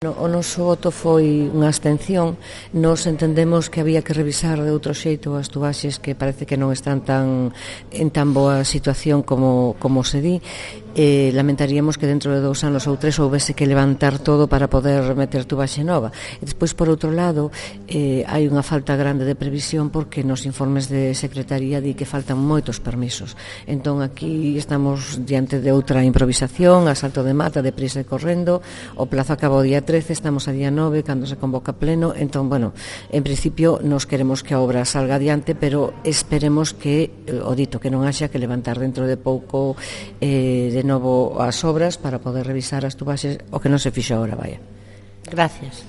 O noso voto foi unha abstención. Nos entendemos que había que revisar de outro xeito as tubaxes que parece que non están en tan boa situación como se di. Lamentaríamos que dentro de 2 anos ou 3 houvese que levantar todo para poder meter tubaxe nova. E despois, por outro lado, hai unha falta grande de previsión porque nos informes de Secretaría di que faltan moitos permisos. Entón aquí estamos diante de outra improvisación, a salto de mata, de prisa e correndo. O plazo acaba o día 13, estamos a día 9 cando se convoca pleno. Entón, bueno, en principio nos queremos que a obra salga adiante, pero esperemos que, o dito, que non haxa que levantar dentro de pouco de novo as obras para poder revisar as tubaxes, o que non se fixo agora, vaya. Gracias.